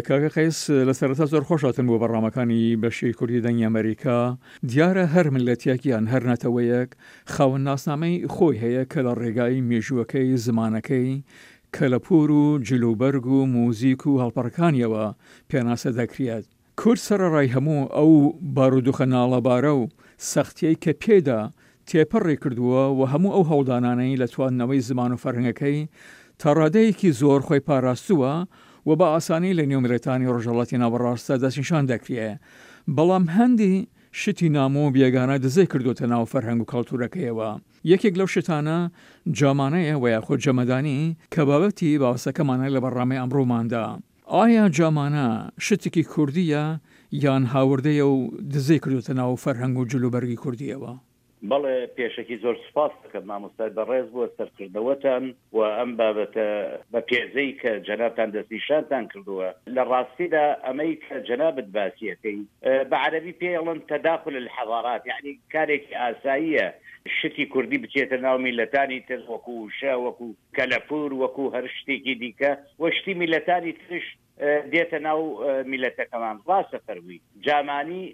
کاکە قەیس لە سەرەتا زۆر خۆش هاتن بۆ بەڕامەکانی بەشی کوردی دەنگی ئەمەریکا. دیارە هەر میللەتێک یان هەر نەتەوەیەک خاوەن ناسنامەی خۆی هەیە کە لە ڕێگای مێژووەکەی، زمانەکەی، کەلەپوور و جلوبەرگ و موزیک و هەڵپەڕکانیەوە پێناسە دەکرێت. کورد سەرەڕای هەموو ئەو بارودوخە ناڵەبارە و سەختیەی کە پێیدا تێپەڕی کردووە و هەموو ئەو هەوڵدانانەی لە تواندنەوەی زمان و فەرهەنگەکەی تا ڕادەیەکی زۆر خۆی پاراستووە و بە ئاسانی لە نێو میللەتانی ڕۆژهەڵاتی ناوەڕاستدا دەستنیشان دەکرێ بەڵام هەندی شتی نامۆ و بێگانە دزەی کردۆتە ناو فەرهەنگ و کەڵتورەکەیەوە. یەکێک لەو شتانە جامانەیە وە یاخود جەمەدانی کە بابەتی باسەکەمانە لە بەڕنامەی ئەمڕۆماندا. ئایا جامانە شتێکی کوردییە یان هاوردەیە و دزەی کردۆتە ناو فەرهەنگ و جلوبەرگی کوردییەوە؟ بەڵێ پێشەکی زۆر سوپاست دەکەم مامۆستای بەڕێز بۆ سەرکردنەوەتان و ئەم بابەتە بە پێزەی کە جەنابتان دەستنیشانتان کردووە. لە ڕاستیدا ئەمەی کە جەنابت باسی ئەکەی بە عەرەبی پێی ئەڵێن تداخل الحضارات یەعنی کارێکی ئاساییە شتی کوردی بچێتە ناو میللەتانی تر وەکو وشە وەکو کەلەپوور وەکو هەر شتێکی دیکە و شتی میللەتانی ترش دێتە ناو میللەتەکەمان. ڕاستە فەرمووی جامانی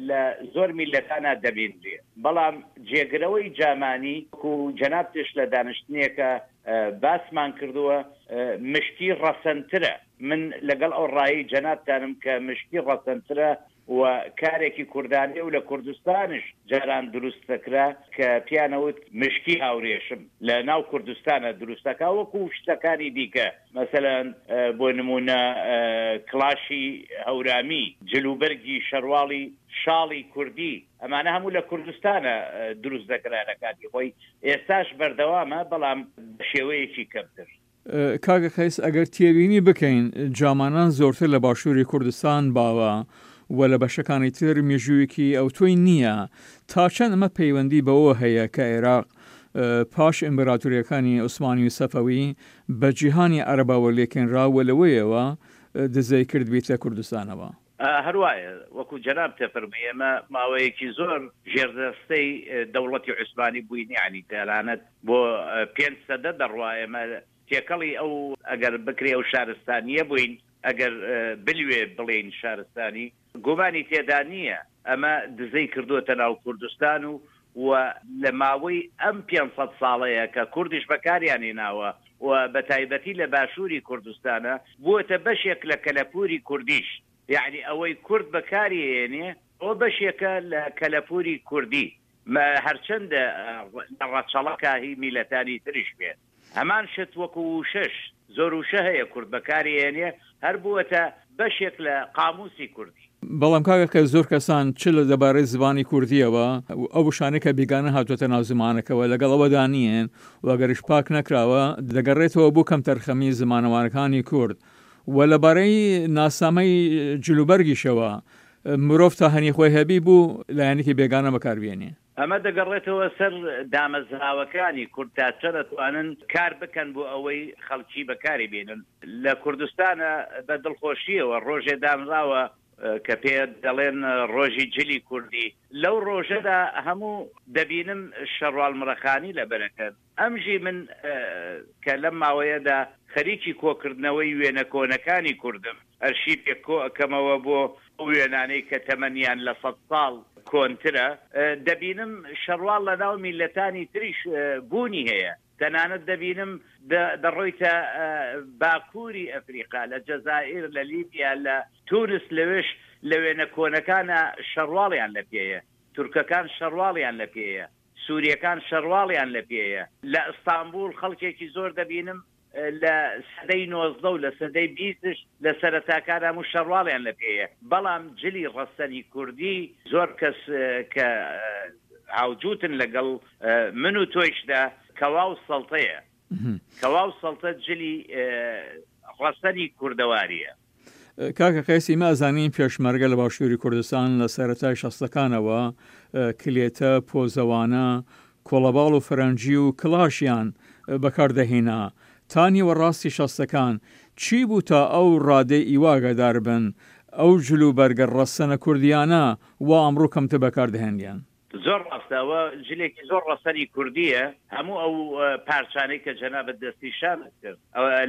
لە زۆر میللەتانا دەبینرێ بەڵام جێگرەوەی جامانی وەکو جەنابتش لە دانشتنێکا باسمان کردووە مشکی ڕەسەنترە. من لەگەڵ ئەو ڕایەی جەنابتانم کە مشکی ڕەسەنترە و کارێکی کوردانەیە و لە کوردستانش جاران دروست دەکرا کە پیان ئەوت مشکی هاورێشم لە ناو کوردستانا دروست دەکا وەکو شتەکانی دیکە مەسەلەن بۆ نموونە کڵاشی هەورامی جل و بەرگی شەرواڵی شاڵی کوردی ئەمانە هەموو لە کوردستانا دروست دەکرا لە کاتی خۆی ئێستاش بەردەوامە بەڵام بە شێوەیەکی کەمتر. کاکە قەیس ئەگەر تێبینی بکەین جامانان زۆرتر لە باشووری کوردستان باوە و لە بەشەکانی تر مێژوویەکی ئەوتۆی نییە تا چەند ئەمە پەیوەندی بەوە هەیە کە عێراق پاش ئیمبراتوریەکانی عوسمانی و سەفەوی بە جیهانی عەرەبەوە لێکێنرا و لەوەیەوە دزەی کردبیتە کوردستانەوە؟ هەر وایە وەکو جەنابت دەفەرمووی ئێمە ماوەیەکی زۆر ژێردەستەی دەوڵەتی عوسمانی بووین یەعنی تەنانەت بۆ پێنج سەدە دەڕوا ئێمە تێکەڵی ئەو ئەگەر بکرێ ئەو شارستانییە بووین ئەگەر بلوێ بڵێین شارستانی گومانی تێدا نییە ئەمە دزەی کردووەتە ناو کوردستان و و لە ماوەی ئەم 500 ساڵەیە کە کوردیش بەکاریان هێناوە و بە تایبەتی لە باشووری کوردستانە بووەتە بەشێک لە کەلەپووری کوردیش یەعنی ئەوەی کورد بەکاری ئەیەنێ ئەوە بەشێکە لە کەلەپووری کوردی هەرچەندە لە ڕەچەڵەکا هی میلەتانی تریش بێ. هەمان شت وەکو ووشەش، زۆر ووشە هەیە کورد بەکاری ئەیەنێ هەر بووەتە بەشێک لە قامووسی کوردی. بەڵام کاکە کە زۆر کەسان چ لە دەبارەی زمانی کوردییەوە ئەو وشانەی کە بیگانە هاتووەتە ناو زمانەکەوە لەگەڵ ئەوەدا نیین و ئەگەریش پاک نەکراوە دەگەڕێتەوە بۆ کەمتەرخەمی زمانەوانەکانی کورد و لەبارەی ناسنامەی جلوبەرگیشەوە مرۆڤ تا هەنی خۆی هەبی بوو لایەنێکی بێگانە بەکار بێنێ. ئەمە دەگەڕێتەوە سەر دامەزراوەکانی کورد تا چەند ئەتوانن کار بکەن بۆ ئەوەی خەڵکی بەکاری بێنن. لە کوردستانا بە دڵخۆشییەوە ڕۆژێ دانراوە کە پێ دەڵێن ڕۆژی جلی کوردی، لەو ڕۆژەدا هەموو دەبینم شەڕواڵ مڕەخانی لەبەرەکەن. ئەمژی من کە لەم ماوەیەدا خەریکی کۆکردنەوەی وێنە کۆنەکانی کوردم، ئەرشیفێک کۆ ئەکەمەوە بۆ ئەو وێنانەی کە تەمەنیان لە سەد ساڵ کۆنترە، دەبینم شەڕواڵ لە ناو میللەتانی تریش بوونی هەیە. تەنانەت دەبینم دەڕۆیتە باکووری ئەفریقا، لە جەزائیر، لە لیبیا، لە تونس، لەوێش لە وێنە کۆنەکانا شەڕواڵیان لە پێیە. تورکەکان شەڕواڵیان لە پێیە. سوریەکان شەرواڵیان لە پێیە. لە ئستانبوڵ خەڵکێکی زۆر دەبینم لە سەدەی 19 و لە سەدەی بیستش لە سەرەتاکان هەموو شەرواڵیان لە پێیە. بەڵام جلی ڕەسەنی کوردی زۆر کەس کە هاوجووتن لەگەڵ من و تۆیشدا کەوا و سەڵتەیە. کەوا و سەڵتە جلی ڕەسەنی کوردەواریە. کاکە قەیس ئیمە ئەزانین پێشمەرگە لە باشووری کوردستان لە سەرەتای شەستەکانەوە کلێتە، پۆزەوانە، کۆڵەباڵ و فەرەنجی و کڵاشیان بەکار دەهینا تا نیوە ڕاستی شەستەکان چی بوو تا ئەو ڕادەی ئیوە ئاگادار بن ئەو جل و بەرگە ڕەسەنە کوردیانە وا ئەمڕۆ کەمتر بەکار دەهێنرێن؟ زۆر ڕاستە ئەوە جلێکی زۆر ڕەسەنی کوردییە، هەموو ئەو پارچانەی کە جەنابت دەستنیشانت کرد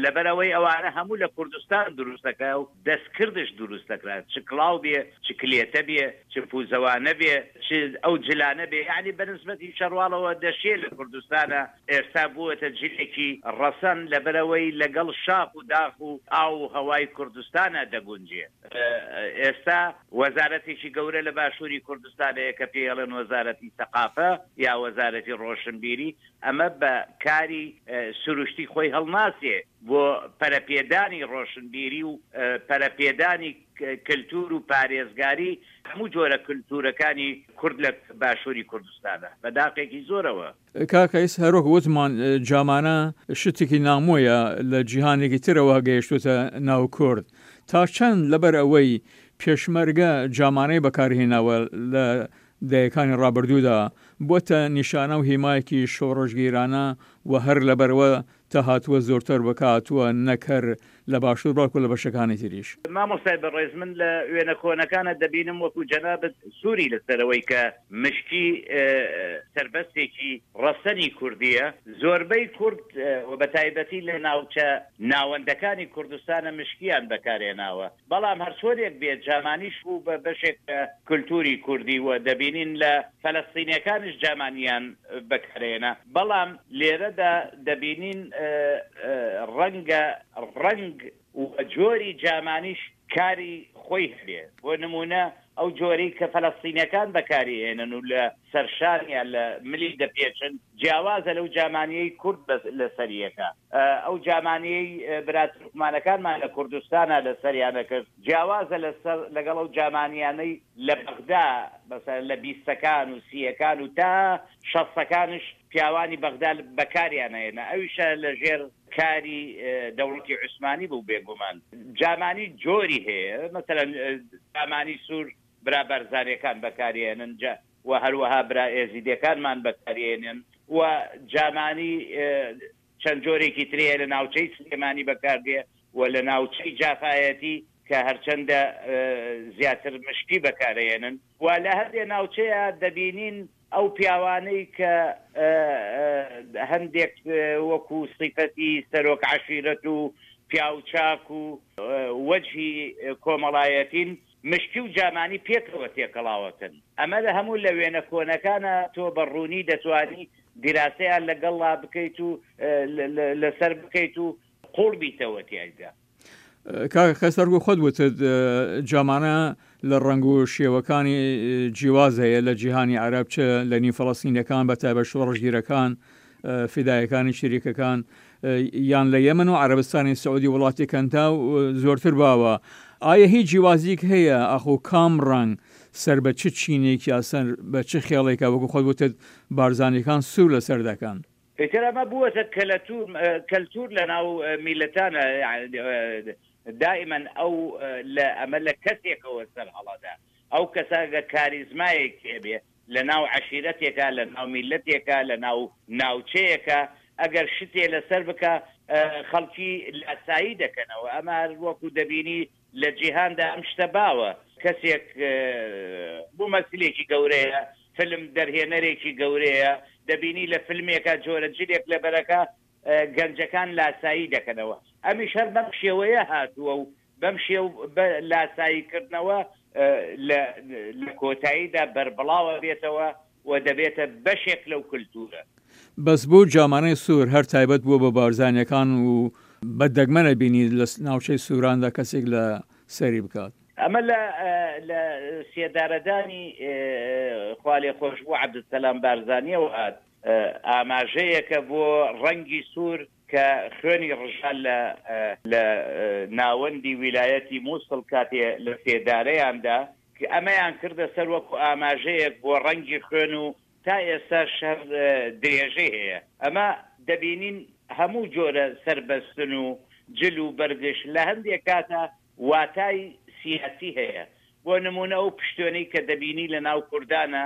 لەبەر ئەوەی ئەوانە هەموو لە کوردستان دروست دەکرا و دەستکردش دروست دەکرا چ کڵاو بێ چ کلێتە بێ چ پوزەوانە بێ چ ئەو جلانە بێ یەعنی بە نسبەتی شەرواڵەوە دەشێ لە کوردستانا ئێستا بووەتە جلێکی ڕەسەن لەبەرئەوەی لەگەڵ شاخ و داخ و ئاو و هەوای کوردستانا دەگونجێ. ئێستا وەزارەتێکی گەورە لە باشووری کوردستان هەیە کە پێی ئەڵێن وەزارەتی سەقافە یا وەزارەتی ڕۆشنبیری، ئەمە بە کاری سروشتی خۆی هەڵناسێ بۆ پەرەپێدانی ڕۆشنبیری و پەرەپێدانی کلتوور و پارێزگاری هەموو جۆرە کلتوورەکانی کورد لە باشووری کوردستانە بە داخێکی زۆرەوە. کاک قەیس هەروەک وتمان جامانە شتێکی نامۆیە لە جیهانێکی ترەوە گەیشتوتە ناو کورد تا چەند لەبەر ئەوەی پێشمەرگە جامانەی بەکارهێناوە لە دەیەکانی ڕابردوودا بۆتە نیشانە و هیمایەکی شۆڕشگیرانە و هەر لەبەرئەوە تا هاتووە زۆرتر بەکاتووە نەک هەر لە باشوور بەڵکو لە بەشەکانی تریش. مامۆستای بەڕێز من لە وێنە کۆنەکانە دەبینم وەکو جەنابت سووری لەسەرەوەی کە مشکی سەربەستێکی ڕەسەنی کوردیە زۆربەی کورد و بەتایبەتی لە ناوچە ناوەندەکانی کوردستانە مشکیان بەکارهێناوە بەڵام هەرچۆنێک بێت جامانیش بوو بە بەشێک لە کولتووری کوردی و دەبینین لە فەلەستینیەکانیش جامانیان بەکارهێنا بەڵام لێرەدا دەبینین ڕەنگە ڕەنگ و جۆری جامانیش کاری خۆی هەبێ بۆ نموونە ئەو جۆرەی کە فەلەستینیەکان بەکاری ئێنن و لە سەرشان یان لە ملی دەپێچن جیاوازە لەو جامانیەی کورد لەسەریەکە ئەو جامانیەی برا تورکمانەکانمان لە کوردستانا لەسەریان ئەکرد جیاوازە لەسەر لەگەڵ ئەو جامانیانەی لە بەغدا مەسەلەن لە بیستەکان و سییەکان و تا شەستەکانش پیاوانی بەغدا بەکاریان ئەهێنا ئەویشە لەژێر کاری دەوڵەتی عوسمانی بوو بێگومان جامانی جۆری هەیە مەسەلەن جامانی سوور برا بارزانیەکان بەکاریێنن جا و هەروەها برا ئێزیدیەکانمان بەکاریێنن و جامانی چەند جۆرێکی تری هەیە لە ناوچەی سلێمانی بەکاردێ و لە ناوچەی جافایەتی کە هەرچەندە زیاتر مشکی بەکارئەیەنن و لە هەندێ ناوچەیا دەبینین ئەو پیاوانەی کە هەندێک وەکو سیفەتی سەرۆک عەشیرەت و پیاوچاک و وەجهی کۆمەڵایەتین مشکی و جامانی پێکەوە تێکەڵاوەکەن. ئەمە لە هەموو لە وێنە کۆنەکانا تۆ بە ڕوونی دەتوانی دیراسەیان لە گەڵا بکەیت و لە سەر بکەیت و قووڵ بیتەوە تیایدا. کاکە قەیسەر وەکو خۆت وتت جامانە لە ڕەنگ و شێوەکانی جیواز هەیە لە جیهانی عەرەب چ لە نیو فەڵەستینەکان بە تایبەت شۆڕشگیرەکان فیدایەکانی شریکەکان یان لە یەمەن و عەرەبستانی سعودی وڵاتی کەنداو زۆرتر باوە ئایا هیچ جیوازیک هەیە ئاخۆ کام ڕەنگ سەر بە چ چینێک یا سەر بە چ خێڵێکە وەکو خۆت وتت بارزانیەکان سوور لەسەر دەکەن؟ ئیتر ئەمە بووەتە کەلەتوور کەلتوور لەناو میللەتانە دائیمەن ئەو لە ئەمە لە کەسێکەوە سەر هەڵەدا ئەو کەسە گەر کاریزمایەکی هەبێ لە ناو عەشیرەتێکا لە ناو میللەتێکا لە ناو ناوچەیەکا ئەگەر شتێ لەسەر بکا خەڵکی لاسایی دەکەنەوە ئەمە هەر وەکو دەبینی لە جیهاندا ئەم شتە باوە کەسێک مومەسیلێکی گەورەیە فلم دەرهێنەرێکی گەورەیە دەبینی لە فلمێکا جۆرە جلێک لەبەرەکا گەنجەکان لاسایی دەکەنەوە ئەمیش هەر بەم شێوەیە هاتووە و بەم شێو بە لاسایی کردنەوە لە لە کۆتاییدا بەربڵاوە بێتەوە و دەبێتە بەشێک لەو کلتورە. بەس بۆ جامانەی سوور هەر تایبەت بووە بە بارزانیەکان و بە دەگمەنە بینیت لە ناوچەی سوراندا کەسێک لە سەری بکات. ئەمە لە لە سێدارەدانی خوالێخۆشبوو عەبدولسەلام بارزانیەوە هات، ئاماژەیەکە بۆ ڕەنگی سوور کە خوێنی ڕژا لە لە ناوەندی ویلایەتی موسڵ کاتێ لە سێدارەیان دا، ئەمەیان کردە سەر وەکو ئاماژەیەک بۆ ڕەنگی خوێن و تا ئێستاش هەر درێژەی هەیە. ئەمە دەبینین هەموو جۆرە سەربەستن و جل و بەرگش لە هەندێک کاتا واتای سیاسی هەیە. بۆ نموونە ئەو پشتێنەی کە دەبینی لە ناو کوردانا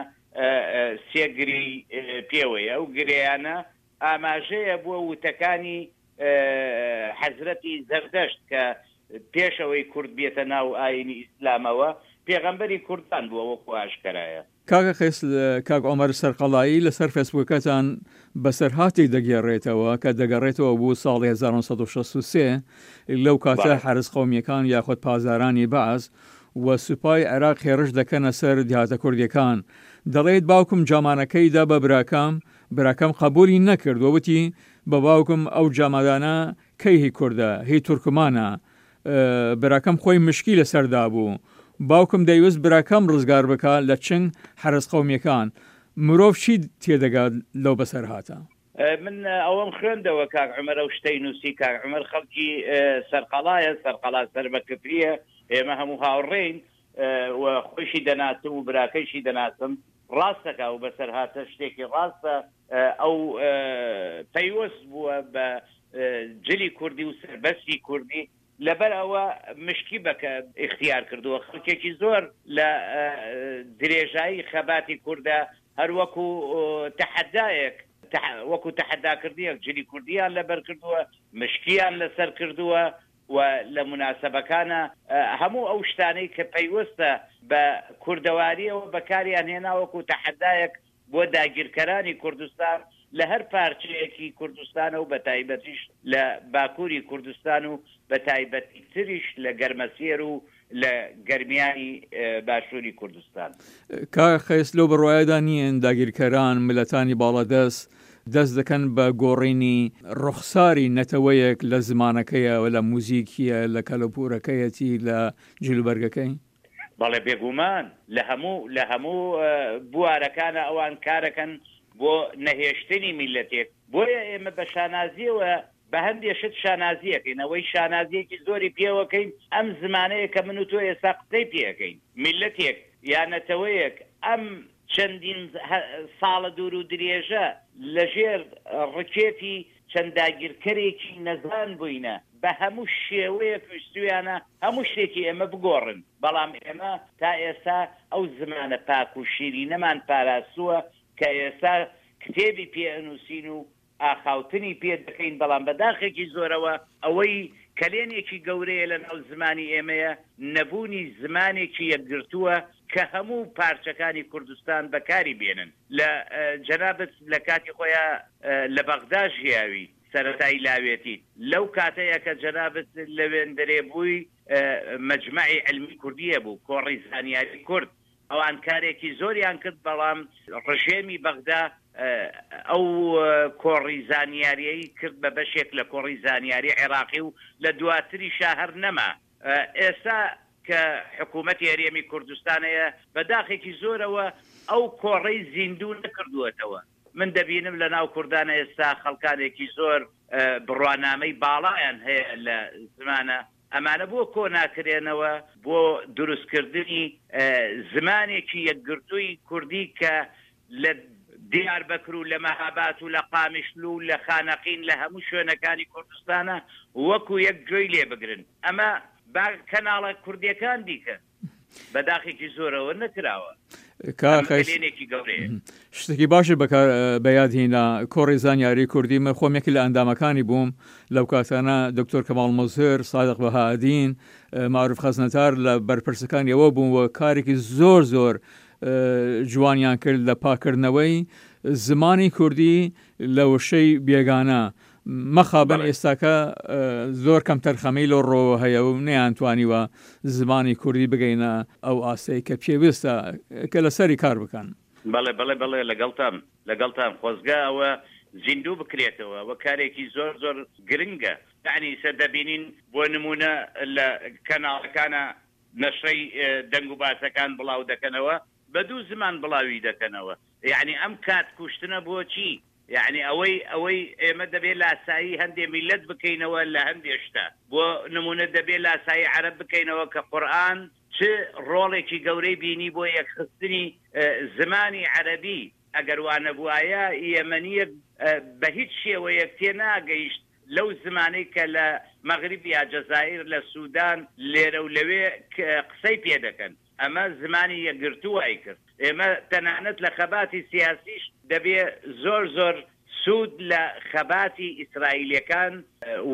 سێ گرێی پێوەیە، ئەو گرێیانە ئاماژەیە بۆ وتەکانی حەزرەتی زەردەشت کە پێش ئەوەی کورد بێتە ناو ئایینی ئیسلامەوە پێغەمبەری کوردان بووە وەکو ئاشکەرایە. کاکە قەیس کاک عومەر سەرقەڵایی لەسەر فەیسبووکەکەتان بەسەرهاتێک دەگێڕێتەوە کە دەگەڕێتەوە بۆ ساڵی 1963 لەو کاتە حەرس قەومیەکان یاخود پاسدارانی بەعس و سوپای عێراق هێڕش دەکەنە سەر دیهاتە کوردیەکان دەڵێت باوکم جامانەکەی دا بە براکەم براکەم قەبولی نەکرد و وتی بە باوکم ئەو جامادانە کەی هی کوردە هی تورکمانە براکەم خۆی مشکی لەسەر دابوو. باوکم دەیوست براکەم ڕزگار بکا لە چنگ حەرەس قەومیەکان. مرۆڤ چی تێدەگات لەو بەسەرهاتە؟ من ئەوەم خوێندەوە کاک عومەر ئەو شتەی نووسی. کاک عومەر خەڵکی سەرقەڵایە، سەرقەڵا سەر بە کفرییە، ئێمە هەموو هاوڕێین و خۆیشی دەناسم و براکەیشی دەناسم. ڕاست دەکا ئەو بەسەرهاتە شتێکی ڕاستە. ئەو پەیوەست بووە بە جلی کوردی و سەربەستی کوردی لەبەر ئەوە مشکی بە ئیختیار کردووە خەڵکێکی زۆر لە درێژایی خەباتی کوردە هەر وەکو تەحەدایەک وەکو تەحەداکردنێک جلی کوردیان لەبەر کردووە مشکیان لەسەر کردووە و لە موناسەبەکانا هەموو ئەو شتانەی کە پەیوەستە بە کوردەواریەوە بەکاریان هێنا وەکو تەحەدایەک بۆ داگیرکەرانی کوردستان لە هەر پارچەیەکی کوردستانە و بەتایبەتیش لە باکووری کوردستان و بەتایبەتیتریش لە گەرمەسێر و لە گەرمیانی باشووری کوردستان. کاک قەیس لەو بڕوایەدا نیین داگیرکەران، ملەتانی باڵادەست دەست دەکەن بە گۆڕینی ڕوخساری نەتەوەیەک لە زمانەکەیە و لە موزیکیە، لە کەلوپورەکەیەتی، لە جلوبەرگەکەی؟ بەڵێ بێگومان لە هەموو لە هەموو بوارەکانا ئەوان کارەکەن بۆ نەهێشتنی میللەتێک بۆیە ئێمە بە شانازیەوە بە هەندێ شت شانازی ئەکەین ئەوەی شانازیەکی زۆری پێوەکەین ئەم زمانەیە کە من و تۆ ئێستا قسەی پێ ئەکەین میللەتێک یا نەتەوەیەک ئەم چەندین ساڵە دوور و درێژە لە ژێر ڕکێفی چەند داگیرکەرێکی نەزان بووینە، بە هەموو شێوەیەک ویستوویانە هەموو شتێکی ئێمە بگۆڕن، بەڵام ئێمە تا ئێستا ئەو زمانە پاک و شیرینەمان پاراستووە کە ئێستا کتێبی پێ ئەنووسین و ئاخاوتنی پێ دەکەین، بەڵام بە داخێکی زۆرەوە ئەوەی کەلێنێکی گەورەیە لە ناو زمانی ئێمەیە، نەبوونی زمانێکی یەکگرتووە کە هەموو پارچەکانی کوردستان بەکاری بێنن. لە جەنابت لە کاتی خۆیا لە بەغدا ژیاوی سەرەتای لاوێتیت لەو کاتەیا کە جەنابت لەوێندەرێ بووی مەجمەعی عیلمی کوردی هەبوو کۆڕی زانیاری کورد ئەوان کارێکی زۆریان کرد بەڵام ڕژێمی بەغدا ئەو کۆڕی زانیاریەی کرد بە بەشێک لە کۆڕی زانیاری عێراقی و لە دواتریشا هەر نەما ئێستا کە حکوومەتی هەرێمی کوردستان هەیە، بە داخێکی زۆرەوە ئەو کۆڕەی زیندوو نەکردووەتەوە. من دەبینم لە ناو کوردان ئێستا خەڵکانێکی زۆر بڕوانامەی باڵایان هەیە لە زمانە، ئەمانە بۆ کۆ ناکرێنەوە بۆ دروستکردنی زمانێکی یەکگرتووی کوردی کە لە دیاربەکر و لە مەهابات و لە قامیشلو و لە خانەقین لە هەموو شوێنەکانی کوردستانا وەکو یەک گوێی لێ بگرن ئەمە با کەناڵە کوردیەکان بیکەن بە داخێکی زۆرەوە نەکراوە ئەمە کەلێنێکی گەورەیە. شتێکی باشت بەکار بەیاد هینا کۆڕی زانیاری کوردی من خۆم یەکی لە ئەندامەکانی بووم لەو کاتانە دکتۆر کەماڵ مزهر سادق بەهادین معروف خەزنەدار لە بەرپرسەکانی ئەوە بوون و کارێکی زۆر زۆر جوانیان کرد لە پاکردنەوەی زمانی کوردی لە وشەی بێگانە مەخابن ئێستاکە زۆر کەم تەرخەمی لەو ڕۆوە هەیە و نەیانتوانیوە زمانی کوردی بگەینە ئەو ئاستەی کە پێویستە کە لەسەری کار بکەن. بەڵێ بەڵێ بەڵێ لەگەڵتام لەگەڵتام خۆزگە ئەوە زیندوو بکرێتەوە ئەوە کارێکی زۆر زۆر گرنگە یەعنی ئیسە دەبینین بۆ نموونە لە کەناڵەکانا نەشرەی دەنگ و باسەکان بڵاو دەکەنەوە بە دوو زمان بڵاوی دەکەنەوە یەعنی ئەم کات کوشتنە بۆچی یەعنی ئەوەی ئەوەی ئێمە دەبێ لاسایی هەندێ میللەت بکەینەوە لە هەندێ شتە بۆ نمونە دەبێ لاسایی عەرەب بکەینەوە کە قورئان چ ڕۆڵێکی گەورەی بینی بۆ یەکخستنی زمانی عەرەبی ئەگەر وانەبوایە یەمەنیەک بە هیچ شێوەیەک تێناگەیشت لەو زمانەی کە لە مەغریب یا جەزائیر لە سودان لێرە و لەوێ قسەی پێ دەکەن. ئەمە زمانی یەکگرتوو وای کرد. ئێمە تەنانەت لە خەباتی سیاسیش دەبێ زۆر زۆر سوود لە خەباتی ئیسرائیلیەکان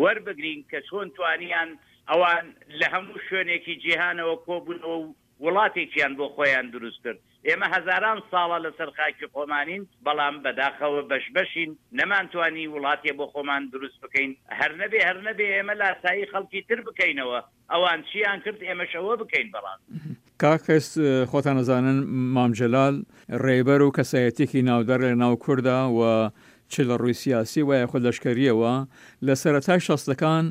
وەربگرین کە چۆن توانیان ئەوان لە هەموو شوێنێکی جیهانەوە کۆبوونەوە و. وڵاتێکیان بۆ خۆیان دروست کرد. ئێمە هەزاران ساڵە لەسەر خاکی خۆمانین، بەڵام بەداخەوە بەش بەشین، نەمانتوانی وڵاتێ بۆ خۆمان دروست بکەین. هەر نەبێ هەر نەبێ ئێمە لاسایی خەڵکی تر بکەینەوە، ئەوان چیان کرد ئێمەش ئەوە بکەین بەڕاستی. کاک قەیس خۆتان ئەزانن مام جەلال ڕێبەر و کەسایەتیەکی ناودارە لە ناو کوردا و چ لە ڕووی سیاسی و یاخود لەشکەریەوە لە سەرەتای شەستەکان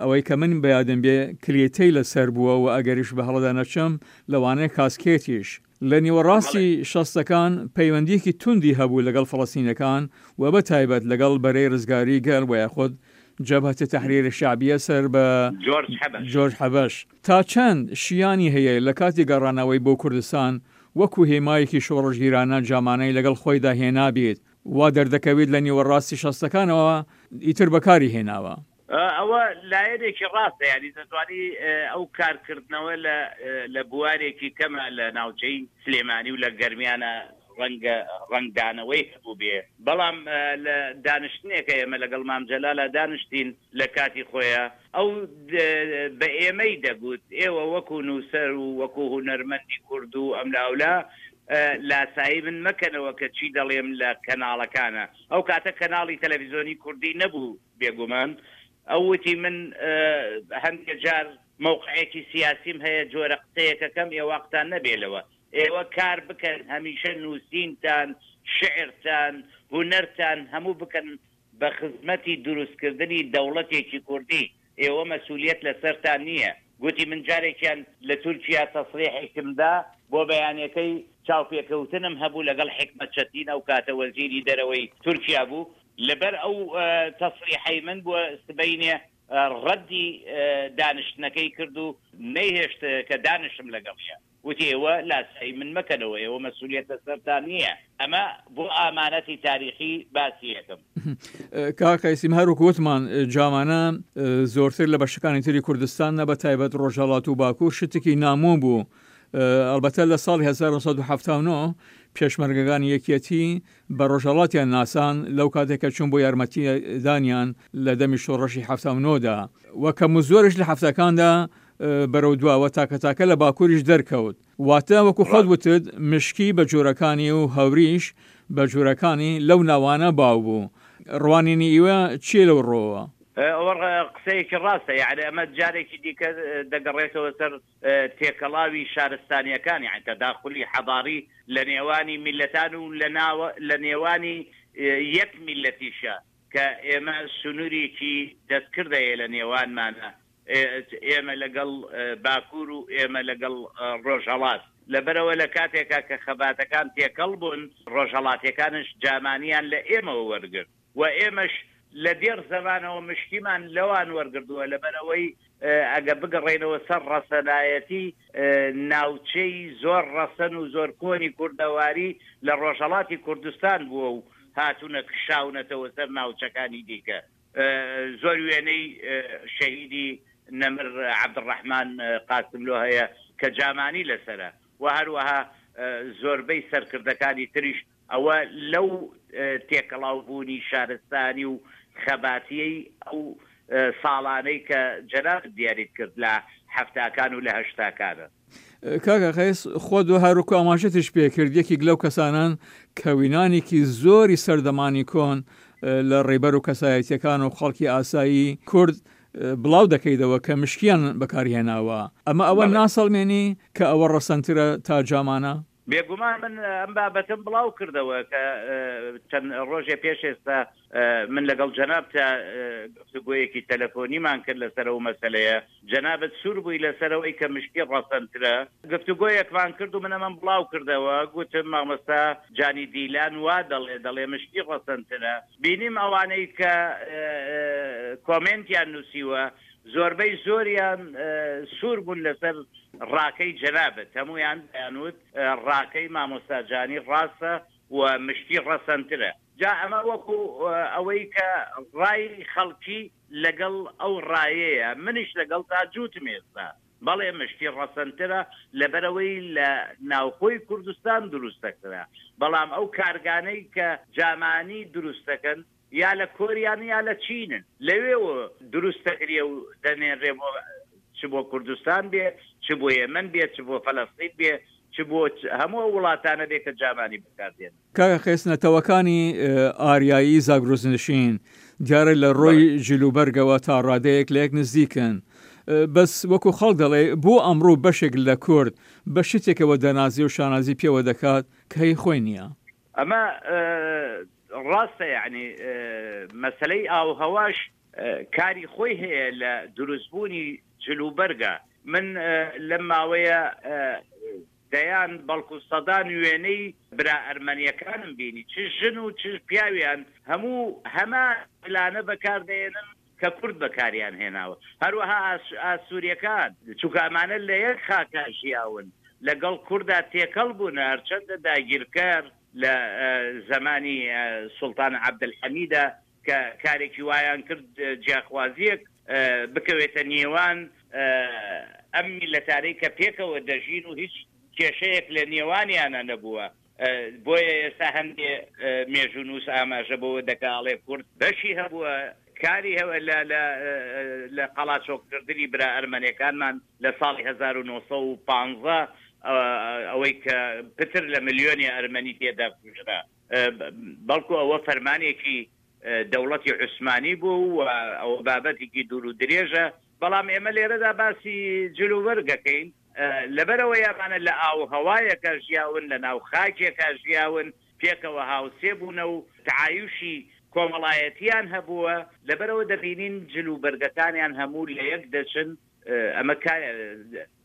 ئەوەی کە من بەیادم بێ کلیتەی لەسەر بووە و ئەگەریش بە هەڵەدا نەچم لەوانەیە کاسکێتیش لە نیوەڕاستی شەستەکان پەیوەندیەکی توندی هەبوو لەگەڵ فەڵەستینەکان و بە تایبەت لەگەڵ بەرەی ڕزگاری گەل و یاخود جەبهەت تەحریر شەعبیە سەر بە جۆرج حەبەش. تا چەند شیانی هەیە لە کاتی گەڕانەوەی بۆ کوردستان وەکو هێمایەکی شۆڕشگیرانە جامانەی لەگەڵ خۆیدا هێنابێت، وا دەردەکەوێت لە نیوەڕاستی شەستەکانەوە ئیتر بەکاری هێناوە. ئەوە لایەنێکی ڕاستە، یانی دەتوانی ئەو کارکردنەوە لە لە بوارێکی کەمە لە ناوچەی سلێمانی و لە گەرمیانە ڕەنگە ڕەنگدانەوەی هەبووبێ، بەڵام لە دانیشتنێکە ئێمە لەگەڵ مام جەلالا دانیشتین لە کاتی خۆیا ئەو بە ئێمەی دەگوت ئێوە وەکوو نووسەر و وەکوو هونەرمەندی کورد و ئەملاولا لاسایی من مەکەنەوە کە چی دەڵێم لە کەناڵەکانە ئەو کاتە کەناڵی تەلەفیزۆنی کوردی نەبوو بێگومان ئەو وتی من هەندێ جار مەوقعێکی سیاسیم هەیە جۆرە قسەیەکەکەم ئێواقتان نەبێ لەوە ئێوە کار بکەن هەمیشە نووسینتان شعرتان هونەرتان هەموو بکەن بە خزمەتی دروستکردنی دەوڵەتێکی کوردی ئێوە مەسولیەت لەسەرتان نییە. گوتی من جارێکیان لە تورکیا تەسریحێکم دا بۆ بەیانەکەی چاوپێکەوتنم هەبوو لەگەڵ حیکمەت چەتین ئەو کاتە وەزیری دەرەوەی تورکیا بوو لەبەر ئەو تەسریحەی من بۆ سبەینێ ڕەدی دانیشتنەکەی کرد و نەیهێشت کە دانیشم لەگەڵیا. وتی ئێوە لاسایی من مەکەنەوە، ئێوە مەسولیەت لەسەرتان نییە، ئەمە بۆ ئامانەتی تاریخی باسی ئەکەم. کاک قەیسیم هەر وەکو وتمان جامانە زۆرتر لە بەشەکانی تری کوردستان نە بە تایبەت ڕۆژهەڵات و باکوور شتێکی نامۆ بوو ئەڵبەتە لە ساڵی 1970 پێشمەرگەکانی یەکیەتی بە ڕۆژهەڵاتیان ناسان لەو کاتێک کە چوون بۆ یارمەتیدانیان لە دەمی شۆڕشی 79 دا و کەم و زۆرش لە هەفتەکاندا بەرەو دواوە تاکە تاکە لە باکووریش دەرکەوت. واتە وەکو خۆت وتت مشکی بە جۆرەکانی و هەوریش بە جۆرەکانی لەو ناوانە باو بوو. ڕوانینی ئیوە چییە لەو ڕووەوە؟ ئەوە قسەیەکی ڕاستە، یەعنی ئەمە جارێکی دیکە دەگەڕێتەوە سەر تێکەڵاوی شارستانییەکان، یەعنی تەداخولی حەزاری لە نێوانی میللەتان و لە نێوانی یەک میللەتیشە کە ئێمە سنوورێکی دەستکرد هەیە لە نێوانمانا ئێمە لەگەڵ باکوور و ئێمە لەگەڵ ڕۆژهەڵات. لەبەرئەوە لە کاتێکا کە خەباتەکان تێکەڵ بوون، ڕۆژهەڵاتیەکانش جامانیان لە ئێمەوە وەرگرت و ئێمەش لە دێڕ زەمانەوە مشکیمان لەوان وەرگردووە. لەبەرئەوەی ئەگە بگەڕێینەوە سەر ڕەسەنایەتی ناوچەی زۆر ڕەسەن و زۆر کۆنی کوردەواری لە ڕۆژهەڵاتی کوردستان بووە و هاتوونە کشاونەتەوە سەر ناوچەکانی دیکە. زۆر وێنەی شەهیدی نەمر عەبدولڕەحمان قاسملۆ هەیە کە جامانی لەسەرە و هەروەها زۆربەی سەرکردەکانی تریش ئەوە لەو تێکەڵاوبوونی شارستانی و خەباتیەی ئەو ساڵانەی کە جەنابت دیاریت کرد لە حەفتاکان و لە هەشتاکانە. کاکە قەیس خۆت و هەروەکو ئاماژەتیش پێکرد یەکێک لەو کەسانەن کە وینانێکی زۆری سەردەمانی کۆن لە ڕێبەر و کەسایەتیەکان و خەڵکی ئاسایی کورد بڵاو دەکەیتەوە کە مشکیان بەکارهێناوە ئەمە ئەوە ناسەڵمێنی کە ئەوە ڕەسەنترە تا جامانە؟ بێگومان من ئەم بابەتەم بڵاو کردەوە کە چەند ڕۆژێ پێش ئێستا من لەگەڵ جەنابتا گفتوگۆیەکی تەلەفۆنیمان کرد لەسەر ئەو مەسەلەیە، جەنابت سوور بووی لەسەر ئەوەی کە مشکی ڕەسەنترە، گفتوگۆیەکمان کرد و من ئەمەم بڵاو کردەوە، گوتم مامۆستا جانی دیلان وا دەڵێ، دەڵێ مشکی ڕەسەنترە، بینیم ئەوانەی کە کۆمێنتیان نووسیوە زۆربەی زۆریان سوور بوون لەسەر ڕاکەی جەنابت، هەموویان دەیانوت ڕاکەی مامۆستا جانی ڕاستە و مشکی ڕەسەنترە. جا ئەمە وەکو ئەوەی کە ڕای خەڵکی لەگەڵ ئەو ڕایەیە، منیش لەگەڵتا جووتم ئێستا. بەڵێ مشکی ڕەسەنترە لەبەرئەوەی لە ناوخۆی کوردستان دروستەکرا، بەڵام ئەو کارگانەی کە جامانی دروستەکەن یا لە کۆریان یا لە چینن، لەوێوە دروستەکرێ و دەنێنرێ بۆ. چ بۆ کوردستان بێ، چ بۆ یەمەن بێ، چ بۆ فەلەستین بێ، چ بۆ هەموو ئەو وڵاتانە بێ کە جامانی بەکار دێنن. کاکە قەیس نەتەوەکانی ئاریایی زاگرۆسنشین دیارە لە ڕۆی جلوبەرگەوە تا ڕادەیەک لە یەک نزیکن بەس وەکو خەڵک دەڵێ بۆ ئەمڕۆ بەشێک لە کورد بە شتێکەوە دەنازێ و شانازی پێوە دەکات کە هی خۆی نییە؟ ئەمە ڕاستە یەعنی مەسەلەی ئاووهەواش کاری خۆی هەیە لە دروستبوونی جلوبەرگا من لەم ماوەیە دەیان بەڵکو سەدان وێنەی برا ئەرمەنیەکانم بینی چ ژن و چ پیاویان هەموو هەمان جلانە بەکار دەێنن کە کورد بەکاریان هێناوە هەروەها ئاسوریەکان چونکە ئەمانە لە یەک خاکا ژیاون لەگەڵ کوردا تێکەڵ بوونە هەرچەندە داگیرکەر لە زەمانی سوڵتان عەبدولحەمیدا کە کارێکی وایان کرد جیاخوازیەک بکەوێتە نێوان ئەم میللەتانەی کە پێکەوە دەژین و هیچ کێشەیەک لە نێوانیانا نەبووە بۆیە ئێستا هەندێ مێژوونووس ئاماژە بەوە دەکا ئەڵێ کورد بەشی هەبووە کاری هەبووە لە لە لە قەڵاچۆکردنی برا ئەرمەنەکانمان لە ساڵی 1915 ئەوەی کە پتر لە ملیۆنێ ئەرمەنی تێدا کوژرا. بەڵکو ئەوە فەرمانێکی دەوڵەتی عوسمانی بوو و ئەوە بابەتێکی دوور و درێژە، بەڵام ئێمە لێرەدا باسی جلوبەرگ ئەکەین، لەبەرئەوەی ئەمانە لە ئاووهەوایەکا ژیاون، لە ناو خاکێکا ژیاون، پێکەوە هاوسێ بوونە و تەعایوشی کۆمەڵایەتییان هەبووە، لەبەرئەوە دەبینین جلوبەرگەکانیان هەموو لەیەک دەچن، ئەمە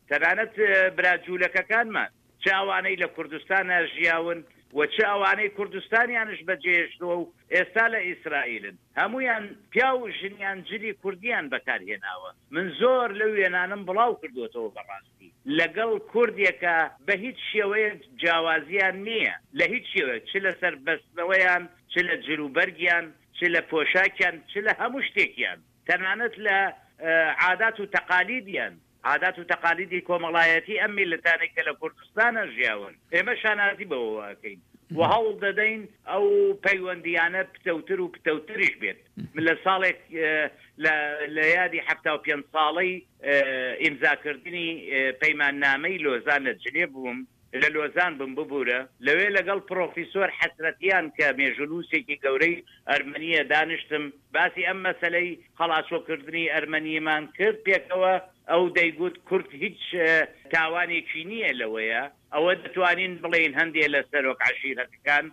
تەنانەت برا جوولەکەکانمان، چ ئەوانەی لە کوردستانا ژیاون و چ ئەوانەی کوردستانیانش بەجێهێشتووە و ئێستا لە ئیسرائیلن، هەموویان پیاو و ژنیان جلی کوردیان بەکار هێناوە. من زۆر لەو وێنانەم بڵاو کردووەتەوە بەڕاستی لەگەڵ کوردێکا بە هیچ شێوەیەک جیاوازیان نییە لە هیچ شێوەیەک چ لەسەر بەستنەوەیان، چ لە جلوبەرگیان، چ لە پۆشاکیان، چ لە هەموو شتێکیان تەنانەت لە عادات و تەقالیدیان. عادات و تەقالیدی کۆمەڵایەتی ئەم میللەتانەی کە لە کوردستانا ژیاون، ئێمە شانازی بەوەوە ئەکەین و هەوڵ دەدەین ئەو پەیوەندییانە پتەوتر و پتەوتریش بێت. من لە ساڵێک لە لە یادی 75 ساڵەی ئیمزاکردنی پەیماننامەی لۆزان لە جنێڤ بووم، لە لۆزان بووم ببورە، لەوێ لەگەڵ پڕۆفیسۆر حەسرەتیان کە مێژوونووسێکی گەورەی ئەرمەنییە دانیشتم، باسی ئەم مەسەلەی قەڵاچۆکردنی ئەرمەنیمان کرد پێکەوە، ئەو دەیگوت کورد هیچ تاوانێکی نییە لەوەیە، ئەوە دەتوانین بڵێین هەندێ لە سەرۆک عەشیرەتەکان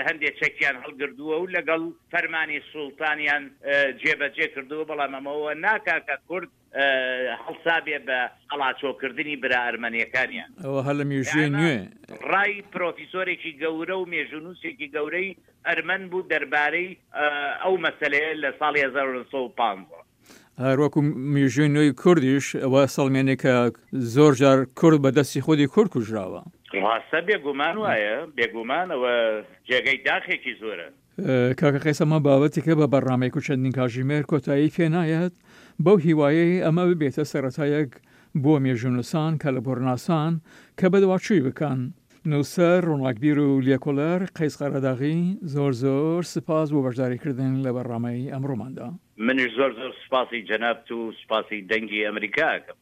هەندێ چەکیان هەڵگردووە و لەگەڵ فەرمانی سوڵتانیان جێبەجێ کردووە، بەڵام ئەمە ئەوە ناکا کە کورد هەڵسابێ بە قەڵاچۆکردنی برا ئەرمەنیەکانیان. ئەوە هەر لە مێژووی نوێ. ڕای پرۆفیسۆرێکی گەورە و مێژوونووسێکی گەورەی ئەرمەن بوو دەربارەی ئەو مەسەلەیە لە ساڵی 1915. هەر وەکو مێژووی نوێی کوردیش ئەوە سەڵمێنێ کە زۆر جار کورد بە دەستی خودی کورد کوژراوە. ڕاستە بێگومان وایە، بێگومان ئەوە جێگەی داخێکی زۆرە. کاکە قەیس ئەمە بابەتێکە بە بەرنامەیەک و چەندین کاژیمێر کۆتایی پێ نایەت، بەو هیوایەی ئەمە ببێتە سەرەتایەک بۆ مێژوونووسان، کەلەپوورناسان کە بەدواچووی بکەن. نووسەر، ڕووناکبیر و لێکۆڵەر قەیس قەرەداغی زۆر زۆر سپاس بۆ بەشداریکردن لە بەرنامەی ئەمڕۆماندا. منیش زۆر زۆر سوپاسی جەنابت و سوپاسی دەنگی ئەمریکا ئەکەم.